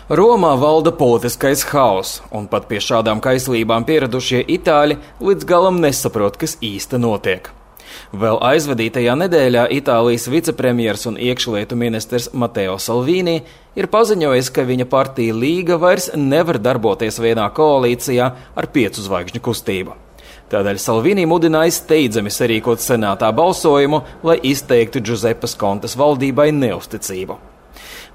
Romā valda politiskais haoss, un pat pie šādām kaislībām pieradušie itāļi līdz galam nesaprot, kas īsti notiek. Vēl aizvadītajā nedēļā Itālijas vicepremjers un iekšlietu ministrs Matteo Salvini ir paziņojis, ka viņa partija Līga vairs nevar darboties vienā koalīcijā ar 5 zvaigžņu kustību. Tādēļ Salvini mudināja steidzami sarīkot senātā balsojumu, lai izteiktu Giuseppes Contes valdībai neusticību.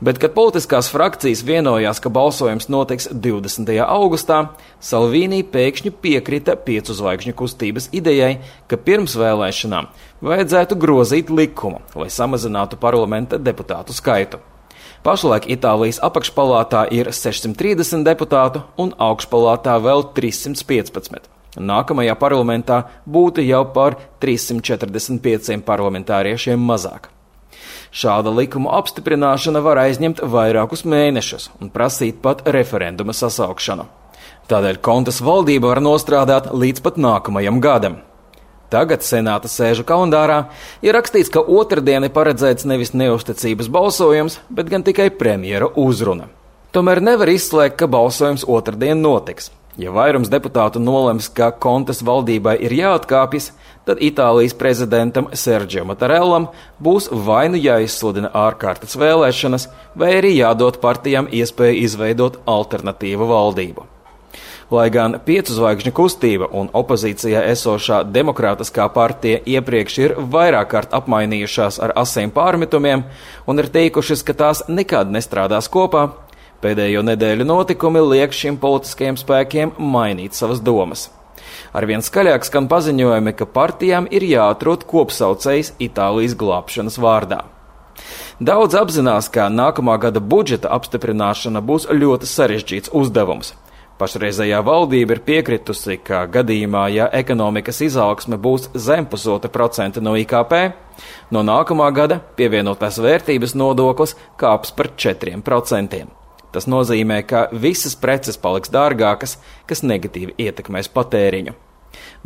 Bet, kad politiskās frakcijas vienojās, ka balsojums notiks 20. augustā, Salvini pēkšņi piekrita 5 zvaigžņu kustības idejai, ka pirms vēlēšanām vajadzētu grozīt likumu, lai samazinātu parlamenta deputātu skaitu. Pašlaik Itālijas apakšpalātā ir 630 deputātu un augšpalātā vēl 315. Nākamajā parlamentā būtu jau par 345 parlamentāriešiem mazāk. Šāda likuma apstiprināšana var aizņemt vairākus mēnešus un prasīt pat referenduma sasaukšanu. Tādēļ Contes valdība var nostrādāt līdz pat nākamajam gadam. Tagad senāta sēžu kalendārā ir rakstīts, ka otrdien ir paredzēts nevis neusticības balsojums, bet gan tikai premjera uzruna. Tomēr nevar izslēgt, ka balsojums otrdien notiks. Ja vairums deputātu nolems, ka Contes valdībai ir jāatkāpjas, tad Itālijas prezidentam Sergio Mattarellam būs vai nu jāizsludina ārkārtas vēlēšanas, vai arī jādod partijām iespēju izveidot alternatīvu valdību. Lai gan 5 zvaigžņu kustība un opozīcijā esošā demokrātiskā partija iepriekš ir vairāk kārt apmainījušās ar asiem pārmetumiem un ir teikušas, ka tās nekad nestrādās kopā, pēdējo nedēļu notikumi liek šiem politiskajiem spēkiem mainīt savas domas. Arvien skaļāk skan paziņojumi, ka partijām ir jāatrod kopsaucējs Itālijas glābšanas vārdā. Daudz apzinās, ka nākamā gada budžeta apstiprināšana būs ļoti sarežģīts uzdevums. Pašreizējā valdība ir piekritusi, ka gadījumā, ja ekonomikas izaugsme būs zem 0,5% no IKP, no nākamā gada pievienotās vērtības nodoklis kāps par 4%. Tas nozīmē, ka visas preces paliks dārgākas, kas negatīvi ietekmēs patēriņu.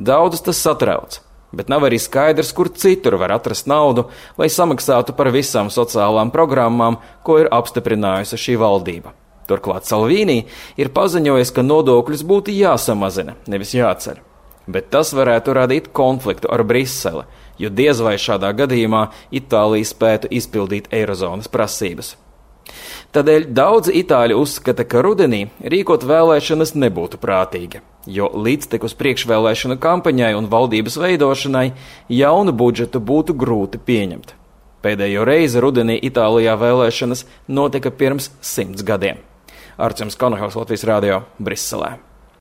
Daudzus tas satrauc, bet nav arī skaidrs, kur citur var atrast naudu, lai samaksātu par visām sociālām programmām, ko ir apstiprinājusi šī valdība. Turklāt Salvini ir paziņojis, ka nodokļus būtu jāsamazina, nevis jāceļ. Bet tas varētu radīt konfliktu ar Briseli, jo diez vai šādā gadījumā Itālija spētu izpildīt eirozonas prasības. Tādēļ daudzi itāļi uzskata, ka rudenī rīkot vēlēšanas nebūtu prātīgi, jo līdztekus priekšvēlēšanu kampaņai un valdības veidošanai jaunu budžetu būtu grūti pieņemt. Pēdējo reizi rudenī Itālijā vēlēšanas notika pirms 100 gadiem. Arčuns Konohals, Latvijas radio, Briselē.